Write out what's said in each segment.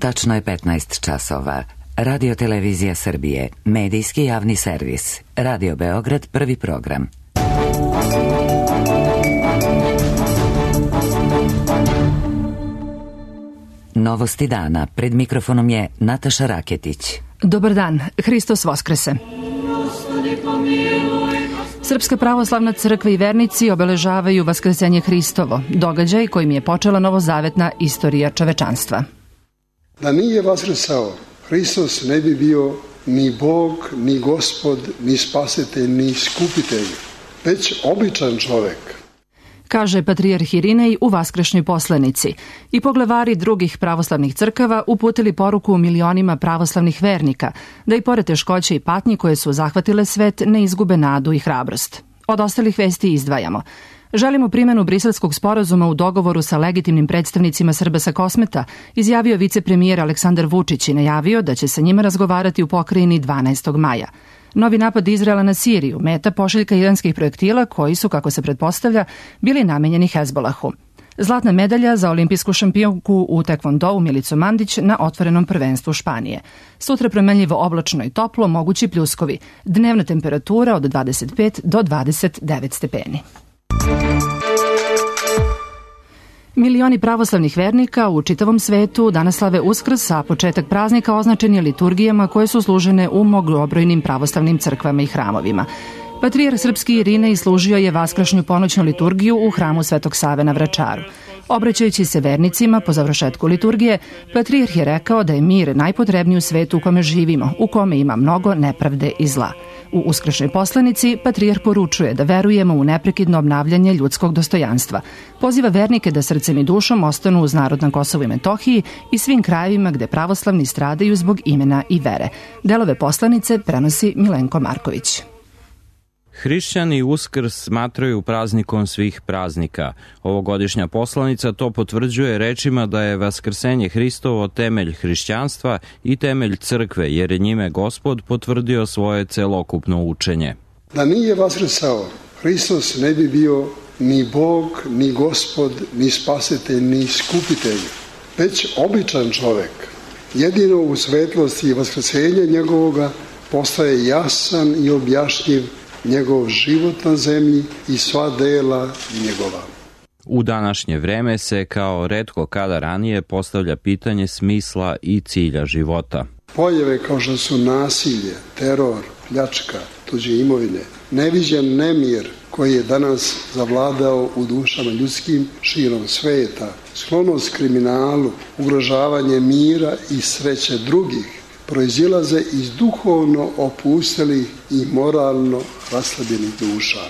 Tačno je 15 časova. Radio Televizija Srbije, medijski javni servis. Radio Beograd, prvi program. Novosti dana. Pred mikrofonom je Nataša Raketić. Dobar dan. Hristos Voskrese. Srpska pravoslavna crkva i vernici obeležavaju Vaskrsenje Hristovo, događaj kojim je počela novozavetna istorija čovečanstva. Da nije vaskrsao, Hristos ne bi bio ni Bog, ni Gospod, ni spasitelj, ni iskupitelj, već običan čovek. Kaže patrijarh Irinej u vaskrešnjoj poslanici. I poglavari drugih pravoslavnih crkava uputili poruku milionima pravoslavnih vernika, da i pored teškoće i patnji koje su zahvatile svet ne izgube nadu i hrabrost. Od ostalih vesti izdvajamo. Želimo primjenu Briselskog sporazuma u dogovoru sa legitimnim predstavnicima Srba sa Kosmeta, izjavio vicepremijer Aleksandar Vučić i najavio da će sa njima razgovarati u pokrajini 12. maja. Novi napad Izraela na Siriju, meta pošiljka iranskih projektila koji su, kako se pretpostavlja, bili namenjeni Hezbolahu. Zlatna medalja za olimpijsku šampionku u tekvondou Milicu Mandić na otvorenom prvenstvu Španije. Sutra promenljivo oblačno i toplo, mogući pljuskovi. Dnevna temperatura od 25 do 29 stepeni. Milioni pravoslavnih vernika u čitavom svetu danas slave Uskrs, a početak praznika označen je liturgijama koje su služene u mnogobrojnim pravoslavnim crkvama i hramovima. Patrijarh srpski Irinej služio je vaskršnju ponoćnu liturgiju u hramu Svetog Save na Vračaru. Obraćajući se vernicima po završetku liturgije, patrijarh je rekao da je mir najpotrebniji u svetu u kome živimo, u kome ima mnogo nepravde i zla. U uskršnjoj poslanici patrijarh poručuje da verujemo u neprekidno obnavljanje ljudskog dostojanstva. Poziva vernike da srcem i dušom ostanu uz narod na Kosovu i Metohiji i svim krajevima gde pravoslavni stradaju zbog imena i vere. Delove poslanice prenosi Milenko Marković. Hrišćani Uskrs smatraju praznikom svih praznika. Ovogodišnja poslanica to potvrđuje rečima da je Vaskrsenje Hristovo temelj hrišćanstva i temelj crkve, jer je njime Gospod potvrdio svoje celokupno učenje. Da nije vaskrsao, Hristos ne bi bio ni Bog, ni Gospod, ni spasitelj, ni iskupitelj, već običan čovek. Jedino u svetlosti i vaskrsenja njegovoga postaje jasan i objašnjiv njegov život na zemlji i sva dela njegova. U današnje vreme se kao retko kada ranije postavlja pitanje smisla i cilja života. Pojave kao što su nasilje, teror, pljačka, tuđe imovine, neviđen nemir koji je danas zavladao u dušama ljudskim širom sveta, sklonost kriminalu, ugrožavanje mira i sreće drugih, proizilaze iz duhovno opustelih i moralno raslabljenih duša.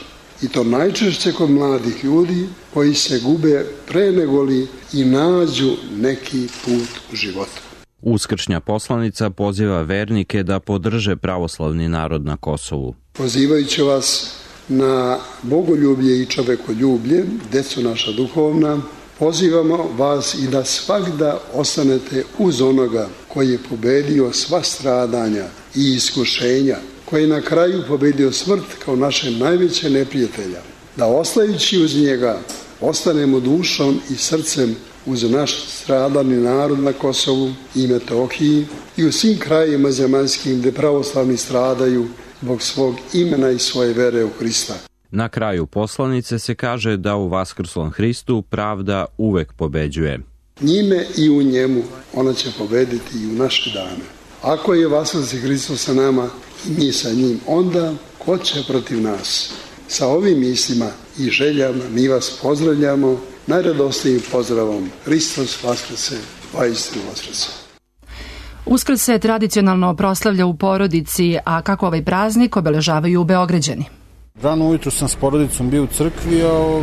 I to najčešće kod mladih ljudi koji se gube pre negoli i nađu neki put u životu. Uskršnja poslanica poziva vernike da podrže pravoslavni narod na Kosovu. Pozivajući vas na bogoljublje i čovekoljublje, deco naša duhovna, pozivamo vas i da svagda ostanete uz onoga koji je pobedio sva stradanja i iskušenja, koji je na kraju pobedio smrt kao naše najveće neprijatelja. Da ostajući uz njega ostanemo dušom i srcem uz naš stradani narod na Kosovu i Metohiji i u svim krajima zemaljskim gde pravoslavni stradaju zbog svog imena i svoje vere u Hrista. Na kraju poslanice se kaže da u vaskrslom Hristu pravda uvek pobeđuje. Njime i u njemu ona će pobediti i u naše dane. Ako je vaskrsli Hristos sa nama i mi sa njim, onda ko će protiv nas? Sa ovim mislima i željama mi vas pozdravljamo najradosnijim pozdravom. Hristos vaskrse, vaistinu vaskrse. Uskrs se tradicionalno proslavlja u porodici, a kako ovaj praznik obeležavaju u Beograđani? Rano ujutro sam s porodicom bio u crkvi, a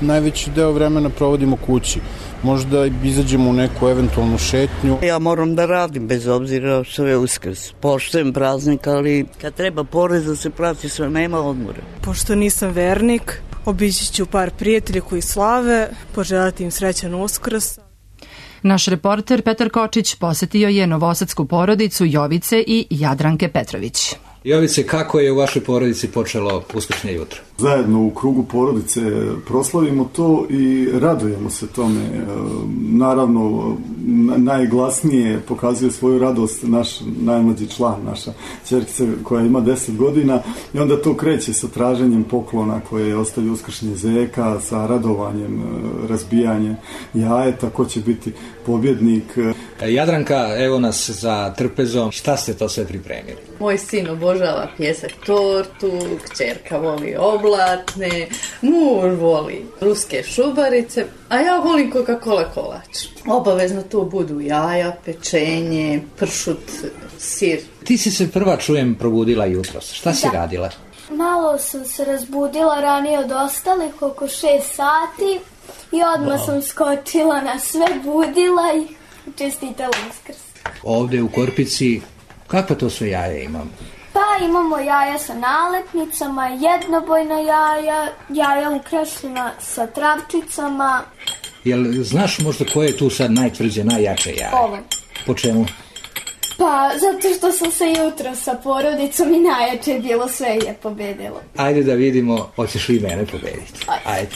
najveći deo vremena provodimo kući. Možda izađemo u neku eventualnu šetnju. Ja moram da radim bez obzira što je Uskrs. Poštujem praznik, ali kad treba porez da se plati sve, nema odmora. Pošto nisam vernik, obići ću par prijatelja koji slave, poželati im srećan Uskrs. Naš reporter Petar Kočić posetio je novosadsku porodicu Jovice i Jadranke Petrović. Jovice, kako je u vašoj porodici počelo uskršnje jutro? Zajedno u krugu porodice proslavimo to i radujemo se tome. Naravno, najglasnije pokazuje svoju radost naš najmlađi član, naša ćerkica koja ima 10 godina i onda to kreće sa traženjem poklona koje ostavlja uskršnje zeka, sa radovanjem, razbijanjem jajeta, ko će biti pobjednik. Jadranka, evo nas za trpezom. Šta ste to sve pripremili? Moj sin obožava pjesak tortu, kćerka voli oblatne, muž voli ruske šubarice, a ja volim Coca-Cola kolač. Obavezno to budu jaja, pečenje, pršut, sir. Ti si se prva, čujem, probudila jutros. Šta si radila? Malo sam se razbudila ranije od ostalih, oko 6 sati i odmah sam skočila na sve, budila i čestitala Uskrs. Ovde u Korpici, kakva to sve jaja imamo? Pa imamo jaja sa nalepnicama, jednobojna jaja, jaja ukrašena sa travčicama. Jel znaš možda koje je tu sad najtvrđe, najjače jaje? Ovo. Po čemu? Pa zato što sam se jutro sa porodicom i najjače je bilo, sve je pobedilo. Ajde da vidimo, hoćeš li mene pobediti? Ajde.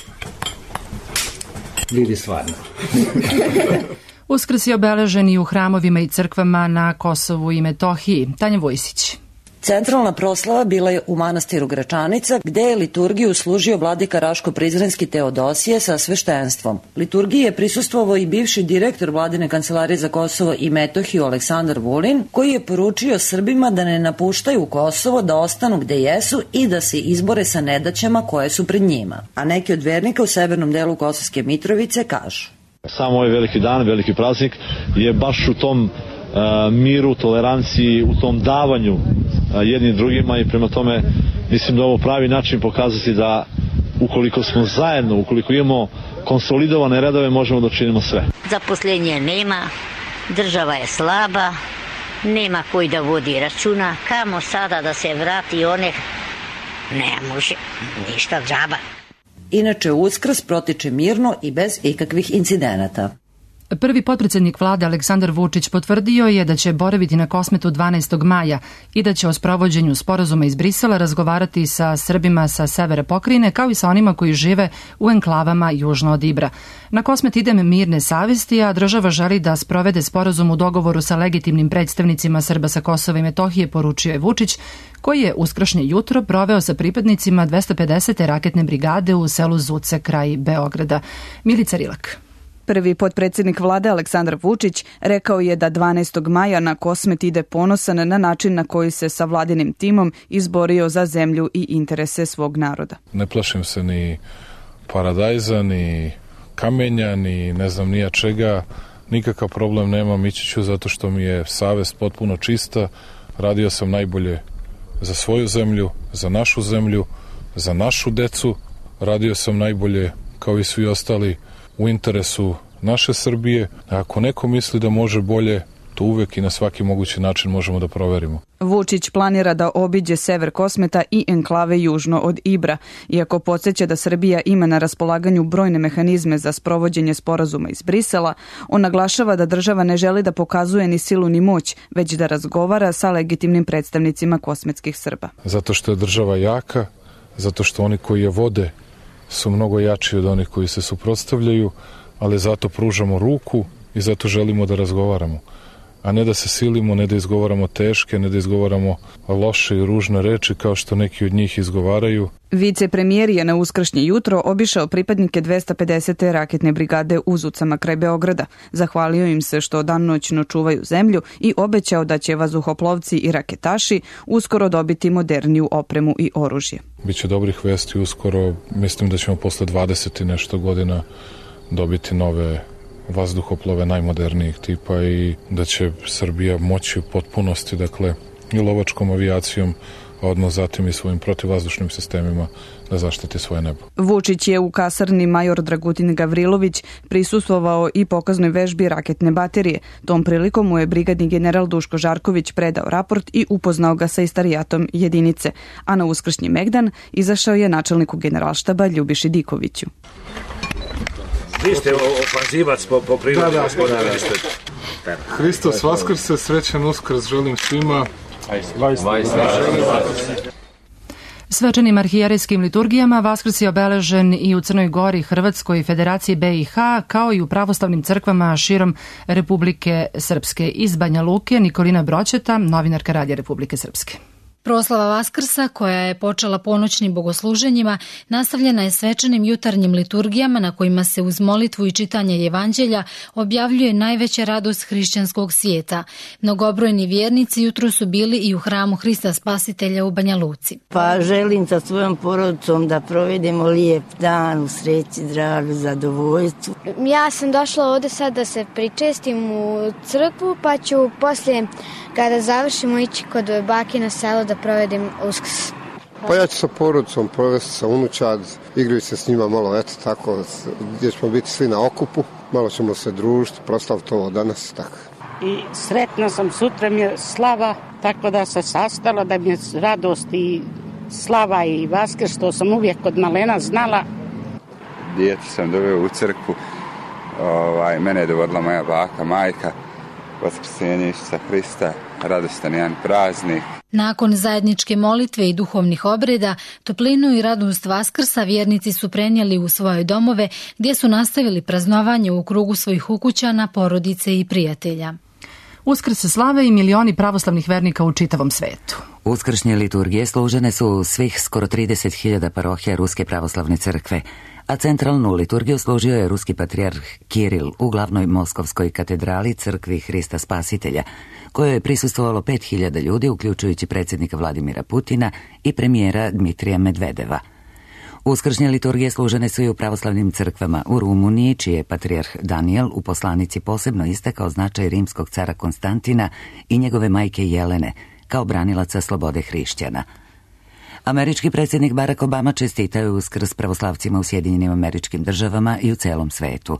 Vidi stvarno. Uskrs je obeležen i u hramovima i crkvama na Kosovu i Metohiji. Tanja Vojsić. Centralna proslava bila je u manastiru Gračanica, gde je liturgiju služio vladika Raško-Prizrenski Teodosije sa sveštenstvom. Liturgiji je prisustvovao i bivši direktor vladine kancelarije za Kosovo i Metohiju Aleksandar Vulin, koji je poručio Srbima da ne napuštaju Kosovo, da ostanu gde jesu i da se izbore sa nedaćama koje su pred njima. A neki od vernika u severnom delu Kosovske Mitrovice kažu: Samo ovaj veliki dan, veliki praznik je baš u tom miru, toleranciji, u tom davanju jednim drugima i prema tome mislim da ovo pravi način pokazati da ukoliko smo zajedno, ukoliko imamo konsolidovane redove, možemo da činimo sve. Zaposlenje nema, država je slaba, nema koji da vodi računa, kamo sada da se vrati one, ne može, ništa džaba. Inače, Uskrs protiče mirno i bez ikakvih incidenata. Prvi potpredsjednik vlade Aleksandar Vučić potvrdio je da će boraviti na Kosmetu 12. maja i da će o sprovođenju sporazuma iz Brisela razgovarati sa Srbima sa severa pokrajine, kao i sa onima koji žive u enklavama južno od Ibra. Na Kosmet idem mirne savesti, a država želi da sprovede sporazum u dogovoru sa legitimnim predstavnicima Srba sa Kosova i Metohije, poručio je Vučić, koji je uskršnje jutro proveo sa pripadnicima 250. raketne brigade u selu Zuce kraj Beograda. Milica Rilak. Prvi potpredsjednik vlade Aleksandar Vučić rekao je da 12. maja na Kosmet ide ponosan na način na koji se sa vladinim timom izborio za zemlju i interese svog naroda. Ne plašim se ni paradajza, ni kamenja, ni ne znam nija čega. Nikakav problem nemam, ići ću zato što mi je savest potpuno čista. Radio sam najbolje za svoju zemlju, za našu decu. Radio sam najbolje kao i svi ostali u interesu naše Srbije. A ako neko misli da može bolje, to uvek i na svaki mogući način možemo da proverimo. Vučić planira da obiđe sever Kosmeta i enklave južno od Ibra. Iako podsjeća da Srbija ima na raspolaganju brojne mehanizme za sprovođenje sporazuma iz Brisela, on naglašava da država ne želi da pokazuje ni silu ni moć, već da razgovara sa legitimnim predstavnicima kosmetskih Srba. Zato što je država jaka, zato što oni koji je vode su mnogo jači od onih koji se suprotstavljaju, ali zato pružamo ruku i zato želimo da razgovaramo. A ne da se silimo, ne da izgovaramo teške, ne da izgovaramo loše i ružne reči kao što neki od njih izgovaraju. Vicepremijer je na uskršnje jutro obišao pripadnike 250. raketne brigade u Zucama kraj Beograda. Zahvalio im se što danonoćno čuvaju zemlju i obećao da će vazduhoplovci i raketaši uskoro dobiti moderniju opremu i oružje. Biće dobrih vesti uskoro. Mislim da ćemo posle 20 i nešto godina dobiti nove vazduhoplove najmodernijih tipa i da će Srbija moći u potpunosti, dakle, i lovačkom avijacijom, a odmah zatim i svojim protivvazdušnim sistemima da zaštiti svoje nebo. Vučić je u kasarni major Dragutin Gavrilović prisustvovao i pokaznoj vežbi raketne baterije. Tom prilikom mu je brigadni general Duško Žarković predao raport i upoznao ga sa istarijatom jedinice. A na uskršnji megdan izašao je načelniku generalštaba Ljubiši Dikoviću. Vi ste ofanzivac po prirodi, gospodine. Hristos Vaskrse, srećan Uskrs želim svima Svečanim arhijerejskim liturgijama Vaskrs je obeležen i u Crnoj Gori, Hrvatskoj i Federaciji BiH, kao i u pravoslavnim crkvama širom Republike Srpske. Iz Banja Luke, Nikolina Broćeta, novinarka Radija Republike Srpske. Proslava Vaskrsa, koja je počela ponoćnim bogosluženjima, nastavljena je svečanim jutarnjim liturgijama na kojima se uz molitvu i čitanje evanđelja objavljuje najveća radost hrišćanskog svijeta. Mnogobrojni vjernici jutro su bili i u hramu Hrista Spasitelja u Banja Luci. Pa želim sa svojom porodicom da provedemo lijep dan u sreći, zdravlju, zadovoljstvu. Ja sam došla ovdje sad da se pričestim u crkvu, pa ću poslije, kada završimo, ići kod bake na selo da provedim Uskrs. Pa ja ću sa porodicom provesti sa unučad, igraju se s njima malo, eto tako, gdje ćemo biti svi na okupu, malo ćemo se družiti, proslaviti ovo danas, tako. I sretna sam, sutra mi je slava, tako da se sastala, da mi je radost i slava i Vaskrs, što sam uvijek kod malena znala. Dijete sam doveo u crkvu, mene je dovodila moja baka, majka, Vaskrsenje Isusa Hrista, radostan jedan praznik. Nakon zajedničke molitve i duhovnih obreda, toplinu i radost Vaskrsa vjernici su prenijeli u svoje domove, gdje su nastavili praznovanje u krugu svojih ukućana, porodice i prijatelja. Uskrs se slave i milioni pravoslavnih vernika u čitavom svetu. Uskršnje liturgije služene su u svih skoro 30.000 parohija Ruske pravoslavne crkve, a centralnu liturgiju služio je ruski patrijarh Kiril u glavnoj moskovskoj katedrali crkvi Hrista Spasitelja, kojoj je prisustvovalo 5.000 ljudi, uključujući predsjednika Vladimira Putina i premijera Dmitrija Medvedeva. Uskršnje liturgije služene su i u pravoslavnim crkvama u Rumuniji, čiji je patrijarh Danijel u poslanici posebno istakao značaj rimskog cara Konstantina i njegove majke Jelene kao branilaca slobode hrišćana. Američki predsjednik Barack Obama čestitao je Uskrs pravoslavcima u Sjedinjenim Američkim Državama i u celom svetu.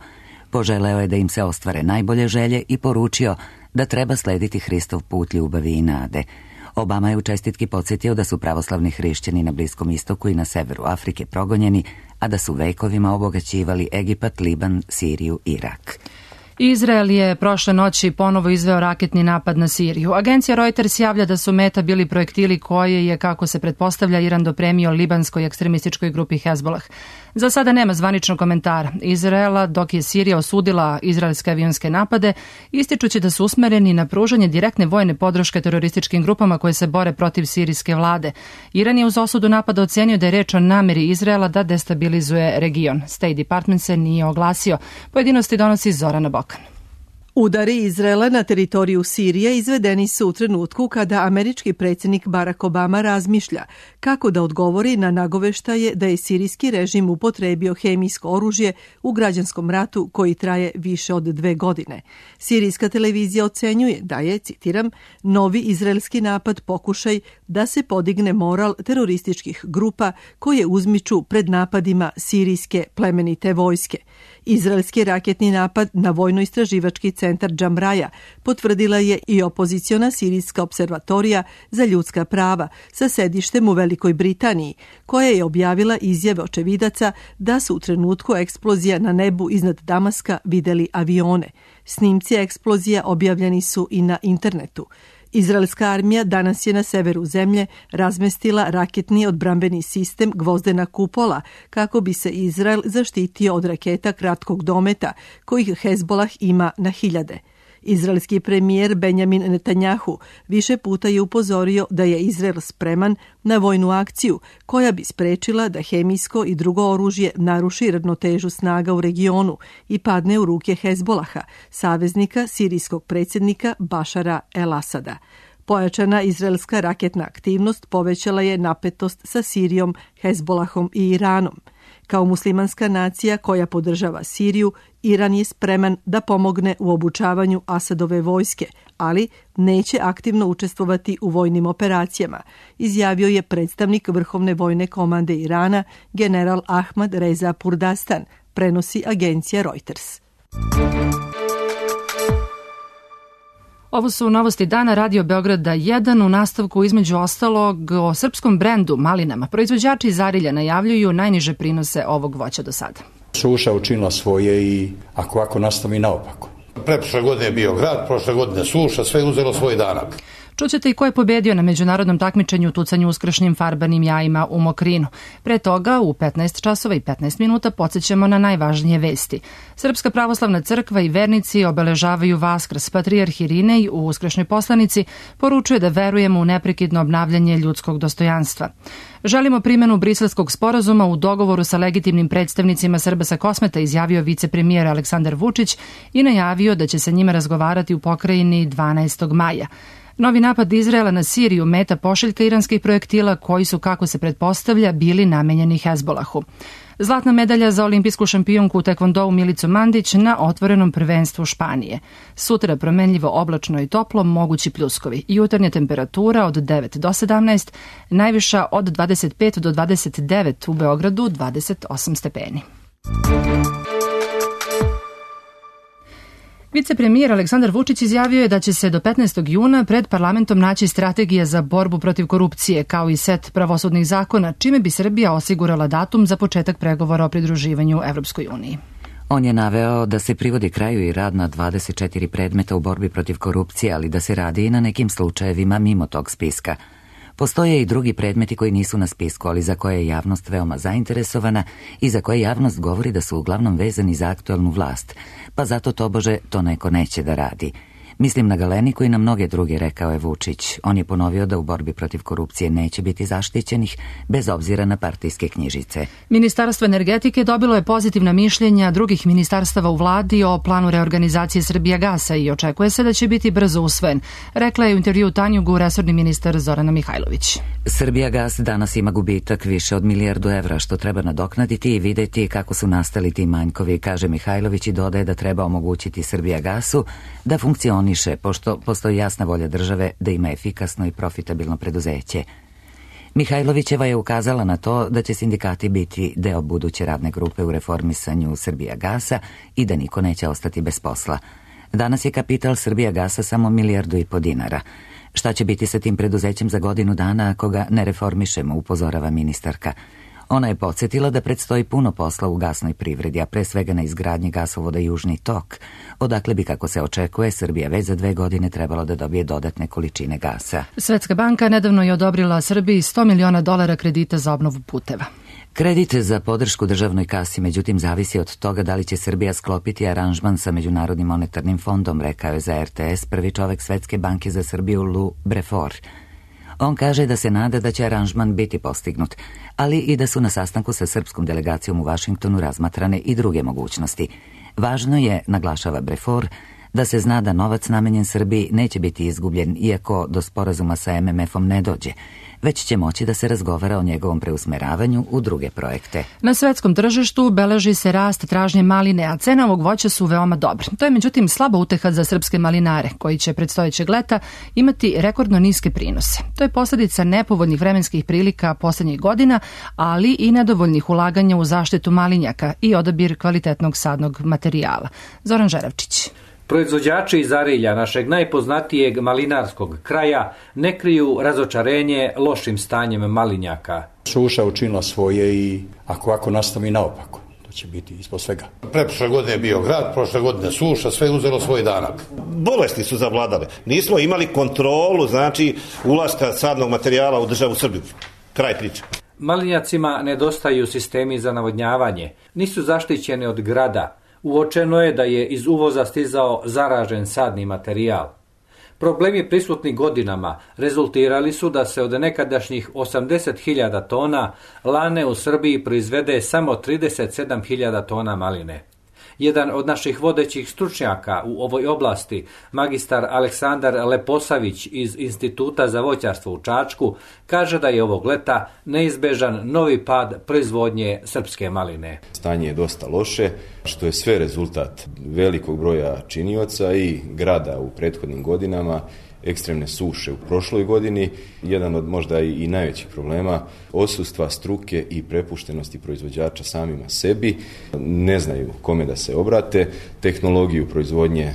Poželeo je da im se ostvare najbolje želje i poručio da treba slediti Hristov put ljubavi i nade. Obama je u čestitki podsjetio da su pravoslavni hrišćani na Bliskom istoku i na severu Afrike progonjeni, a da su vekovima obogaćivali Egipat, Liban, Siriju, Irak. Izrael je prošle noći ponovo izveo raketni napad na Siriju. Agencija Reuters javlja da su meta bili projektili koje je, kako se pretpostavlja, Iran dopremio libanskoj ekstremističkoj grupi Hezbolah. Za sada nema zvaničnog komentara Izraela, dok je Sirija osudila izraelske avionske napade, ističući da su usmereni na pružanje direktne vojne podrške terorističkim grupama koje se bore protiv sirijske vlade. Iran je uz osudu napada ocenio da je reč o nameri Izraela da destabilizuje region. State Department se nije oglasio. Pojedinosti donosi Zorana Bokan. Udari Izraela na teritoriju Sirije izvedeni su u trenutku kada američki predsjednik Barack Obama razmišlja kako da odgovori na nagoveštaje da je sirijski režim upotrebio hemijsko oružje u građanskom ratu koji traje više od 2 godine. Sirijska televizija ocenjuje da je, citiram, novi izraelski napad pokušaj da se podigne moral terorističkih grupa koje uzmiču pred napadima sirijske plemenite vojske. Izraelski raketni napad na vojno-istraživački centar Džamraja potvrdila je i opoziciona sirijska observatorija za ljudska prava sa sedištem u Velikoj Britaniji, koja je objavila izjave očevidaca da su u trenutku eksplozija na nebu iznad Damaska videli avione. Snimci eksplozija objavljeni su i na internetu. Izraelska armija danas je na severu zemlje razmestila raketni odbrambeni sistem Gvozdena kupola kako bi se Izrael zaštitio od raketa kratkog dometa kojih Hezbolah ima na hiljade. Izraelski premijer Benjamin Netanjahu više puta je upozorio da je Izrael spreman na vojnu akciju koja bi sprečila da hemijsko i drugo oružje naruši ravnotežu snaga u regionu i padne u ruke Hezbolaha, saveznika sirijskog predsjednika Bašara el-Asada. Pojačana izraelska raketna aktivnost povećala je napetost sa Sirijom, Hezbolahom i Iranom. Kao muslimanska nacija koja podržava Siriju, Iran je spreman da pomogne u obučavanju Asadove vojske, ali neće aktivno učestvovati u vojnim operacijama, izjavio je predstavnik Vrhovne vojne komande Irana, general Ahmad Reza Purdastan, prenosi agencija Reuters. Ovo su novosti dana Radio Beograda 1 u nastavku između ostalog o srpskom brendu malinama. Proizvođači iz Arilja najavljuju najniže prinose ovog voća do sada. Suša učinila svoje i ako ovako nastavi naopako. Preprošle godine je bio grad, prošle godine suša, sve uzelo svoj danak. Čućete i ko je pobedio na međunarodnom takmičenju u tucanju uskršnjim farbanim jajima u Mokrinu. Pre toga, u 15 časova i 15 minuta podsjećamo na najvažnije vesti. Srpska pravoslavna crkva i vernici obeležavaju Vaskrs. Patrijarh Irinej u uskršnjoj poslanici poručuje da verujemo u neprekidno obnavljanje ljudskog dostojanstva. Želimo primjenu Briselskog sporazuma u dogovoru sa legitimnim predstavnicima Srba sa Kosmeta, izjavio vicepremijer Aleksandar Vučić i najavio da će se njima razgovarati u pokrajini 12. maja. Novi napad Izraela na Siriju meta pošiljka iranskih projektila koji su, kako se pretpostavlja, bili namenjeni Hezbolahu. Zlatna medalja za olimpijsku šampionku u tekvondou Milicu Mandić na otvorenom prvenstvu Španije. Sutra promenljivo oblačno i toplo, mogući pljuskovi. Jutarnja temperatura od 9 do 17, najviša od 25 do 29, u Beogradu 28 stepeni. Vicepremijer Aleksandar Vučić izjavio je da će se do 15. juna pred parlamentom naći strategija za borbu protiv korupcije, kao i set pravosudnih zakona, čime bi Srbija osigurala datum za početak pregovora o pridruživanju Evropskoj uniji. On je naveo da se privodi kraju i rad na 24 predmeta u borbi protiv korupcije, ali da se radi i na nekim slučajevima mimo tog spiska. Postoje i drugi predmeti koji nisu na spisku, ali za koje je javnost veoma zainteresovana i za koje javnost govori da su uglavnom vezani za aktualnu vlast, pa zato tobože to neko neće da radi. Mislim na Galeniku i na mnoge druge, rekao je Vučić. On je ponovio da u borbi protiv korupcije neće biti zaštićenih, bez obzira na partijske knjižice. Ministarstvo energetike dobilo je pozitivna mišljenja drugih ministarstava u vladi o planu reorganizacije Srbijagasa i očekuje se da će biti brzo usvojen, rekla je u intervju Tanjugu resorni ministar Zorana Mihajlović. Srbijagas danas ima gubitak više od 1 milijardu evra, što treba nadoknaditi i videti kako su nastali ti manjkovi, kaže Mihajlović i dodaje da treba omogućiti Srbijagasu da funkcioniše, pošto postoji jasna volja države da ima efikasno i profitabilno preduzeće. Mihajlovićeva je ukazala na to da će sindikati biti deo buduće radne grupe u reformisanju Srbijagasa i da niko neće ostati bez posla. Danas je kapital Srbijagasa samo 1,5 milijardu dinara. Šta će biti sa tim preduzećem za godinu dana ako ga ne reformišemo, upozorava ministarka. Ona je podsjetila da predstoji puno posla u gasnoj privredi, a pre svega na izgradnji gasovoda Južni tok, odakle bi, kako se očekuje, Srbija već za 2 godine trebalo da dobije dodatne količine gasa. Svetska banka nedavno je odobrila Srbiji $100 miliona kredita za obnovu puteva. Kredit za podršku državnoj kasi, međutim, zavisi od toga da li će Srbija sklopiti aranžman sa Međunarodnim monetarnim fondom, rekao je za RTS prvi čovek Svetske banke za Srbiju Lou Brefort. On kaže da se nada da će aranžman biti postignut, ali i da su na sastanku sa srpskom delegacijom u Vašingtonu razmatrane i druge mogućnosti. Važno je, naglašava Brefort, da se zna da novac namenjen Srbiji neće biti izgubljen iako do sporazuma sa MMF-om ne dođe, već će moći da se razgovara o njegovom preusmeravanju u druge projekte. Na svetskom tržištu beleži se rast tražnje maline, a cene ovog voća su veoma dobre. To je međutim slaba uteha za srpske malinare, koji će predstojećeg leta imati rekordno niske prinose. To je posljedica nepovoljnih vremenskih prilika poslednjih godina, ali i nedovoljnih ulaganja u zaštitu malinjaka i odabir kvalitetnog sadnog materijala. Zoran Žeravčić. Proizvođači iz Arilja, našeg najpoznatijeg malinarskog kraja, ne kriju razočarenje lošim stanjem malinjaka. Suša učinila svoje i ako nastavi naopako, to će biti ispod svega. Preprošle godine je bio grad, prošle godine suša, sve je uzelo svoj danak. Bolesti su zavladale. Nismo imali kontrolu, znači, ulaska sadnog materijala u državu Srbiju. Kraj priče. Malinjacima nedostaju sistemi za navodnjavanje, nisu zaštićeni od grada. Uočeno je da je iz uvoza stizao zaražen sadni materijal. Problemi prisutni godinama rezultirali su da se od nekadašnjih 80.000 tona lane u Srbiji proizvede samo 37.000 tona maline. Jedan od naših vodećih stručnjaka u ovoj oblasti, magistar Aleksandar Leposavić iz Instituta za voćarstvo u Čačku, kaže da je ovog leta neizbežan novi pad proizvodnje srpske maline. Stanje je dosta loše, što je sve rezultat velikog broja činioca i grada u prethodnim godinama, ekstremne suše u prošloj godini, jedan od možda i najvećih problema, odsustva struke i prepuštenosti proizvođača samima sebi, ne znaju kome da se obrate, tehnologiju proizvodnje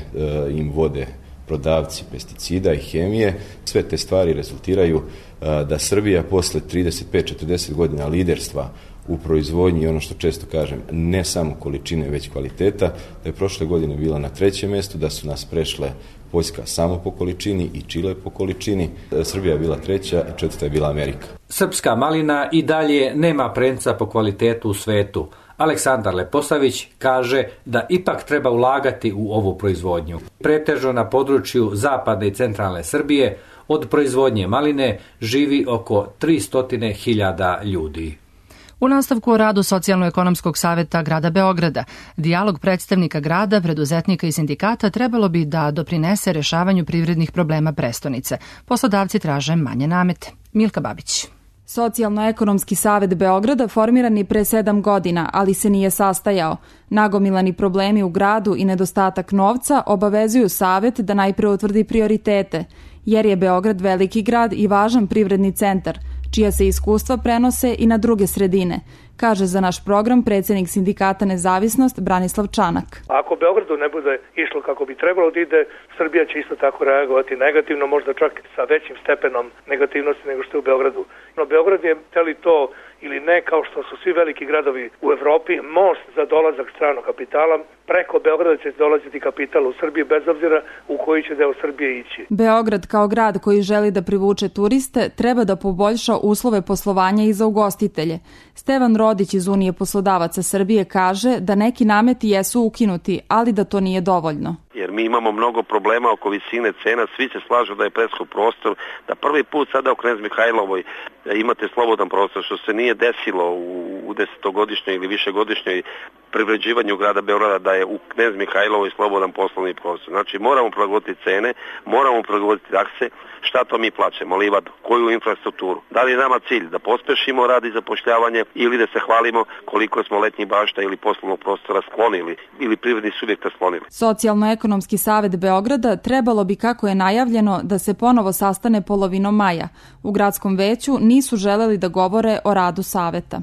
im vode prodavci pesticida i hemije, sve te stvari rezultiraju da Srbija posle 35-40 godina liderstva u proizvodnji i ono što često kažem, ne samo količine, već kvaliteta, da je prošle godine bila na 3. mjestu, da su nas prešle Poljska samo po količini i Čile po količini, Srbija je bila 3. i 4. je bila Amerika. Srpska malina i dalje nema premca po kvalitetu u svetu. Aleksandar Leposavić kaže da ipak treba ulagati u ovu proizvodnju. Pretežno na području zapadne i centralne Srbije od proizvodnje maline živi oko 300.000 ljudi. U nastavku o radu Socijalno-ekonomskog saveta grada Beograda, dijalog predstavnika grada, preduzetnika i sindikata trebalo bi da doprinese rešavanju privrednih problema prestonice. Poslodavci traže manje namete. Milka Babić. Socijalno-ekonomski savet Beograda formiran je pre 7 godina, ali se nije sastajao. Nagomilani problemi u gradu i nedostatak novca obavezuju savet da najpre utvrdi prioritete, jer je Beograd veliki grad i važan privredni centar, čija se iskustva prenose i na druge sredine, kaže za naš program predsjednik sindikata Nezavisnost Branislav Čanak. Ako Beogradu ne bude išlo kako bi trebalo da ide, Srbija će isto tako reagovati negativno, možda čak sa većim stepenom negativnosti nego što je u Beogradu. No Beograd je, teli to ili ne, kao što su svi veliki gradovi u Evropi, most za dolazak stranog kapitala. Preko Beograda će dolaziti kapital u Srbiji bez obzira u koji će deo Srbije ići. Beograd kao grad koji želi da privuče turiste treba da poboljša uslove poslovanja i za ugostitelje. Stevan Rodić iz Unije poslodavaca Srbije kaže da neki nameti jesu ukinuti, ali da to nije dovoljno. Jer mi imamo mnogo problema oko visine cena, svi se slažu da je preskup prostor, da prvi put sada u Knez Mihajlovoj imate slobodan prostor, što se nije desilo u 10-godišnjoj ili višegodišnjoj privređivanju grada Beograda, da je u Knez Mihajlovoj slobodan poslovni prostor. Znači moramo prilagoditi cene, moramo prilagoditi takse, šta to mi plaćamo, livadu, koju infrastrukturu. Da li je nama cilj da pospešimo rad i zapošljavanje ili da se hvalimo koliko smo letnjih bašta ili poslovnog prostora sklonili ili privrednih subjekta sklonili. Socijalno-ekonomski savet Beograda trebalo bi, kako je najavljeno, da se ponovo sastane polovinom maja. U gradskom veću nisu želeli da govore o radu saveta.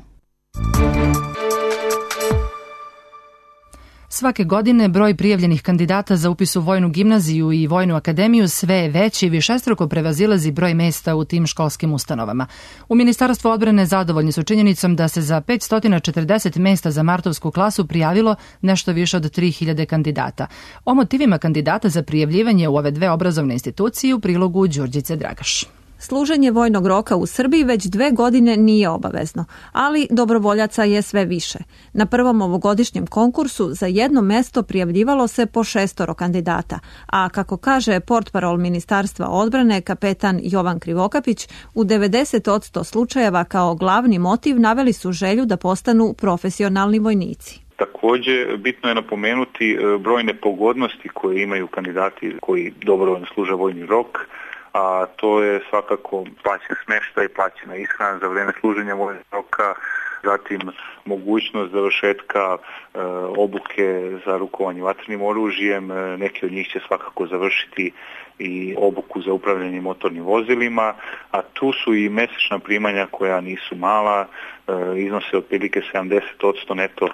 Svake godine broj prijavljenih kandidata za upis u Vojnu gimnaziju i Vojnu akademiju sve je veći i višestruko prevazilazi broj mesta u tim školskim ustanovama. U Ministarstvu odbrane zadovoljni su činjenicom da se za 540 mesta za martovsku klasu prijavilo nešto više od 3000 kandidata. O motivima kandidata za prijavljivanje u ove dve obrazovne institucije u prilogu Đurđice Dragaš. Služenje vojnog roka u Srbiji već 2 godine nije obavezno, ali dobrovoljaca je sve više. Na prvom ovogodišnjem konkursu za jedno mesto prijavljivalo se po 6 kandidata, a kako kaže portparol Ministarstva odbrane kapetan Jovan Krivokapić, u 90% slučajeva kao glavni motiv naveli su želju da postanu profesionalni vojnici. Također, bitno je napomenuti brojne pogodnosti koje imaju kandidati koji dobrovoljno služe vojni rok, a to je svakako plaćen smještaj, plaćena ishrana za vrijeme služenja vojnog roka, zatim mogućnost završetka obuke za rukovanje vatrenim oružjem, neki od njih će svakako završiti i obuku za upravljanje motornim vozilima, a tu su i mesečna primanja koja nisu mala, iznose otprilike 70% neto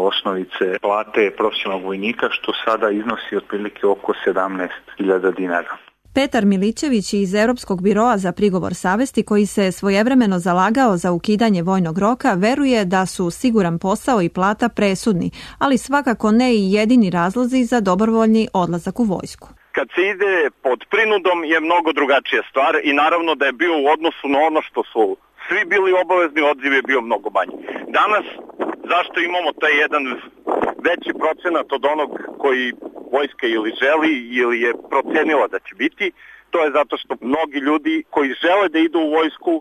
osnovice plate profesionalnog vojnika, što sada iznosi otprilike oko 17.000 dinara. Petar Milićević iz Europskog biroa za prigovor savesti, koji se svojevremeno zalagao za ukidanje vojnog roka, veruje da su siguran posao i plata presudni, ali svakako ne i jedini razlozi za dobrovoljni odlazak u vojsku. Kad se ide pod prinudom je mnogo drugačija stvar i naravno da je bio u odnosu na ono što su svi bili obavezni, odziv je bio mnogo manji. Danas, zašto imamo taj jedan veći procenat od onog koji vojska ili želi ili je procenila da će biti, to je zato što mnogi ljudi koji žele da idu u vojsku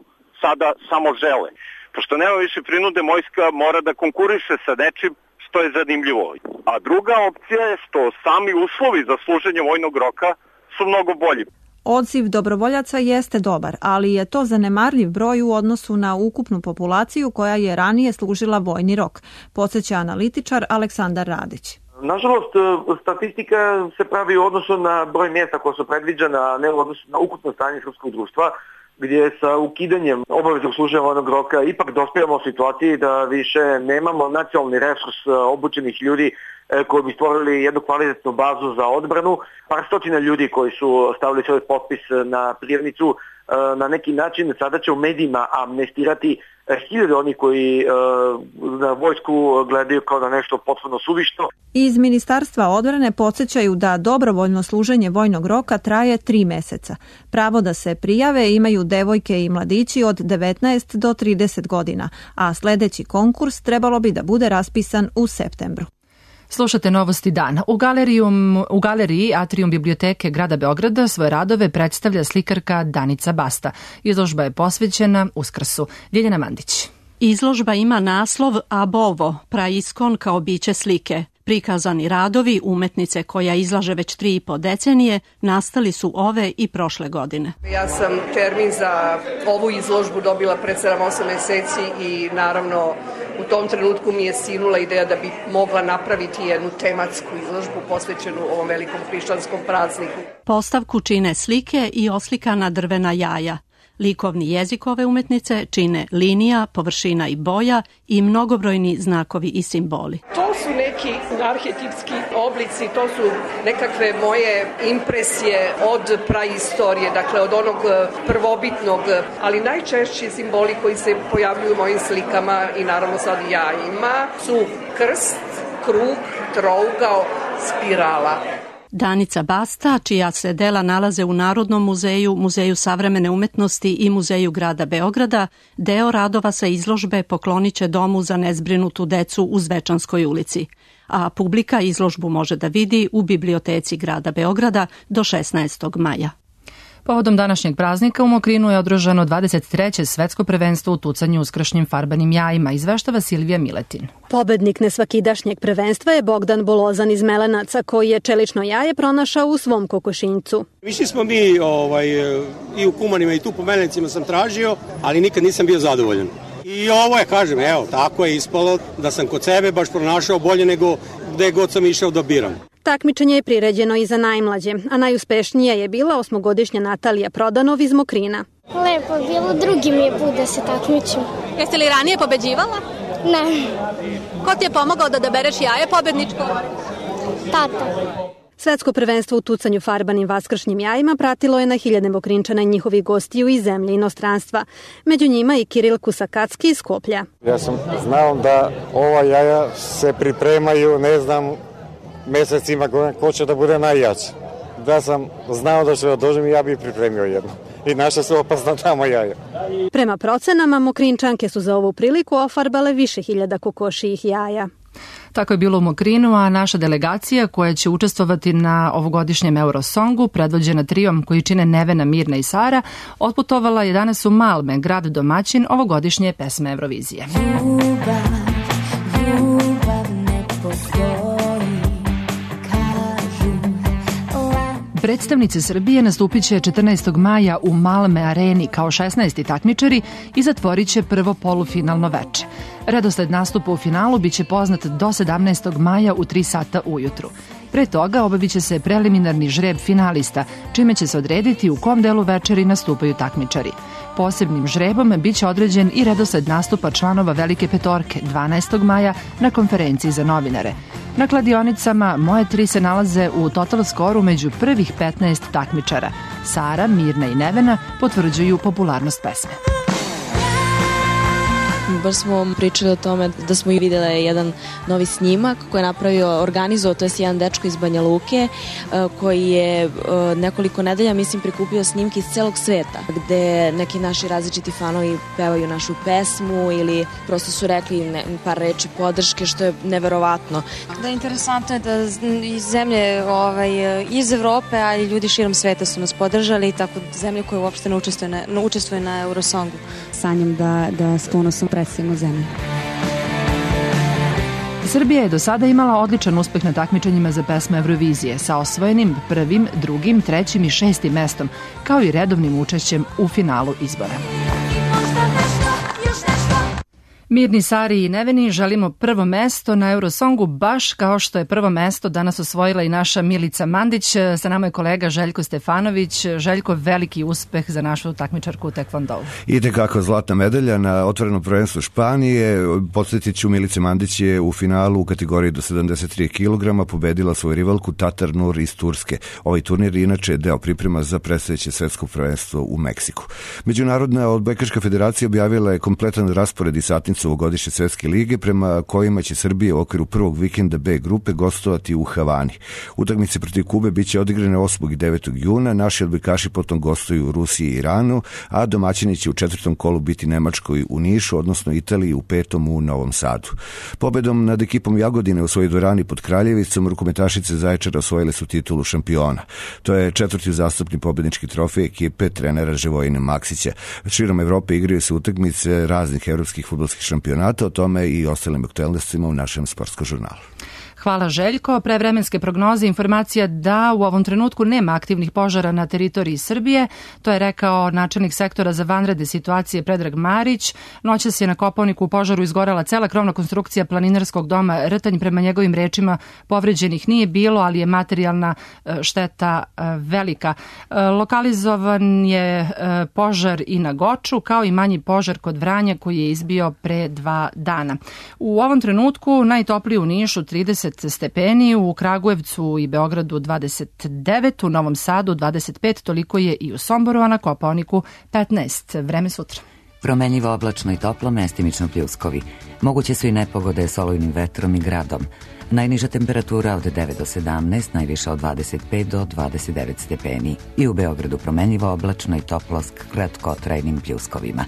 sada samo žele. Pošto nema više prinude, vojska mora da konkuriše sa nečim što je zanimljivo. A druga opcija je što sami uslovi za služenje vojnog roka su mnogo bolji. Odziv dobrovoljaca jeste dobar, ali je to zanemarljiv broj u odnosu na ukupnu populaciju koja je ranije služila vojni rok, podsjeća analitičar Aleksandar Radić. Nažalost, statistika se pravi u odnosu na broj mjesta koja su predviđena, a ne u odnosu na ukupno stanje srpskog društva, gdje sa ukidanjem obaveznog služenja vojnog roka ipak dospijamo u situaciji da više nemamo nacionalni resurs obučenih ljudi koji bi stvorili jednu kvalitetnu bazu za odbranu. Par stotina ljudi koji su stavili svoj potpis na prijavnicu na neki način sada će u medijima amnestirati hiljade oni koji na vojsku gledaju kao na nešto potpuno suvišno. Iz Ministarstva odbrane podsjećaju da dobrovoljno služenje vojnog roka traje 3 meseca. Pravo da se prijave imaju devojke i mladići od 19 do 30 godina, a sljedeći konkurs trebalo bi da bude raspisan u septembru. Slušate Novosti dana. U galeriji Atrium biblioteke grada Beograda svoje radove predstavlja slikarka Danica Basta. Izložba je posvećena Uskrsu. Ljiljana Mandić. Izložba ima naslov Abovo, praiskon kao biće slike. Prikazani radovi umetnice koja izlaže već 3,5 decenije nastali su ove i prošle godine. Ja sam termin za ovu izložbu dobila pred 7-8 meseci i naravno u tom trenutku mi je sinula ideja da bi mogla napraviti jednu tematsku izložbu posvećenu ovom velikom hrišćanskom prazniku. Postavku čine slike i oslikana drvena jaja. Likovni jezik ove umetnice čine linija, površina i boja i mnogobrojni znakovi i simboli. To su neki arhetipski oblici, to su nekakve moje impresije od praistorije, dakle od onog prvobitnog, ali najčešći simboli koji se pojavljuju u mojim slikama i naravno sad jajima su krst, krug, trougao, spirala. Danica Basta, čija se dela nalaze u Narodnom muzeju, Muzeju savremene umetnosti i Muzeju grada Beograda, deo radova sa izložbe poklonit će Domu za nezbrinutu decu u Zvečanskoj ulici. A publika izložbu može da vidi u biblioteci grada Beograda do 16. maja. Povodom današnjeg praznika u Mokrinu je održano 23. svetsko prvenstvo u tucanju uskršnjim farbanim jajima, izveštava Silvija Miletin. Pobednik nesvakidašnjeg prvenstva je Bogdan Bolozan iz Melenaca, koji je čelično jaje pronašao u svom kokošinjcu. Više smo mi i u Kumanima i tu po Melenicima sam tražio, ali nikad nisam bio zadovoljan. I ovo je, kažem, evo, tako je ispalo da sam kod sebe baš pronašao bolje nego gde god sam išao da biram. Takmičenje je priređeno i za najmlađe, a najuspešnija je bila 8-godišnja Natalija Prodanov iz Mokrina. Lepo je bilo, drugi mi je put da se takmičim. Jeste li ranije pobeđivala? Ne. Ko ti je pomogao da dobereš jaje pobedničko? Tata. Svetsko prvenstvo u tucanju farbanim vaskršnjim jajima pratilo je na hiljade Mokrinčana i njihovih gostiju iz zemlje i inostranstva. Među njima i Kiril Kusakacki iz Skoplja. Ja sam znao da ova jaja se pripremaju, ne znam, mesecima ko će da bude najjači. Da sam znao da ću da dođem i ja bih pripremio jedno. I naša su opasna tamo jaja. Prema procenama, Mokrinčanke su za ovu priliku ofarbale više hiljada kokošijih jaja. Tako je bilo u Mokrinu, a naša delegacija koja će učestvovati na ovogodišnjem Eurosongu, predvođena trijom koji čine Nevena, Mirna i Sara, otputovala je danas u Malme, grad domaćin ovogodišnje pesme Eurovizije. Predstavnice Srbije nastupit će 14. maja u Malme areni kao 16. takmičari i zatvorit će prvo polufinalno veče. Redosled nastupa u finalu biće poznat do 17. maja u 3 sata ujutru. Pre toga obavit će se preliminarni žreb finalista, čime će se odrediti u kom delu večeri nastupaju takmičari. Posebnim žrebom biće određen i redosled nastupa članova Velike petorke 12. maja na konferenciji za novinare. Na kladionicama Moje 3 se nalaze u total skoru među prvih 15 takmičara. Sara, Mirna i Nevena potvrđuju popularnost pesme. Baš smo pričali o tome da smo i vidjeli jedan novi snimak koji je organizovao, to je jedan dečko iz Banja Luke koji je nekoliko nedelja, mislim, prikupio snimke iz celog sveta gde neki naši različiti fanovi pevaju našu pesmu ili prosto su rekli par reči podrške, što je neverovatno. Da, interesantno je da iz zemlje iz Evrope, a i ljudi širom sveta su nas podržali, tako zemlje koje uopšte ne učestvuju na Eurosongu. Sanjam da s ponosom predstavimo zemlju. Srbija je do sada imala odličan uspeh na takmičenjima za pesme Eurovizije sa osvojenim 1., 2., 3. i 6. mestom, kao i redovnim učešćem u finalu izbora. Mirni, Sari i neveni želimo prvo mesto na Eurosongu, baš kao što je prvo mesto danas osvojila i naša Milica Mandić. Sa nama je kolega Željko Stefanović. Željko, veliki uspeh za našu takmičarku u tekvondou. Idete kako zlatna medalja na otvorenom prvenstvu Španije. Podsjetit ću, Milica Mandić je u finalu u kategoriji do 73 kg pobedila svoju rivalku Tatar Nur iz Turske. Ovaj turnir inače je deo priprema za predstojeće svetsko prvenstvo u Meksiku. Međunarodna odbojkaška federacija objavila je kompletan raspored i satnicu ovogodišnje svetske lige, prema kojima će Srbija u okviru prvog vikenda B grupe gostovati u Havani. Utakmice protiv Kube biće odigrane 8. i 9. juna, naši odbojkaši potom gostuju u Rusiji i Iranu, a domaćini će u 4. kolu biti Nemačkoj u Nišu, odnosno Italiji u 5. u Novom Sadu. Pobedom nad ekipom Jagodine u svojoj dvorani pod Kraljevicom, rukometašice Zaječara osvojile su titulu šampiona. To je 4. uzastopni pobednički trofej ekipe trenera Živojina Maksića. Širom Evrope igraju se utakmice raznih evropskih fudbalskih šampionata, o tome i ostalim aktualnostima u našem sportskom žurnalu. Hvala Željko. Pre vremenske prognoze informacija da u ovom trenutku nema aktivnih požara na teritoriji Srbije. To je rekao načelnik sektora za vanredne situacije Predrag Marić. Noćas je na Kopaoniku u požaru izgorela cela krovna konstrukcija planinarskog doma Rtanj. Prema njegovim rečima povređenih nije bilo, ali je materijalna šteta velika. Lokalizovan je požar i na Goču, kao i manji požar kod Vranja koji je izbio pre 2 dana. U ovom trenutku najtoplije u Nišu 30 stepeni, u Kragujevcu i Beogradu 29, u Novom Sadu 25, toliko je i u Somboru, a na Kopaoniku 15. Vreme sutra. Promenljivo oblačno i toplo, mestimično pljuskovi. Moguće su i nepogode s olujnim vetrom i gradom. Najniža temperatura od 9 do 17, najviša od 25 do 29 stepeni. I u Beogradu promenljivo oblačno i toplo s kratkotrajnim pljuskovima.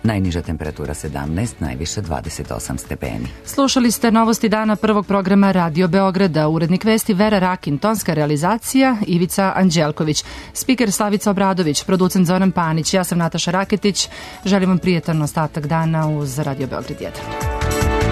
Najniža temperatura 17, najviša 28 stepeni. Slušali ste novosti dana prvog programa Radio Beograda. Urednik vesti Vera Rakin, tonska realizacija Ivica Anđelković, spiker Slavica Obradović, producent Zoran Panić, ja sam Nataša Raketić. Želim vam prijetan ostatak dana uz Radio Beograd 1.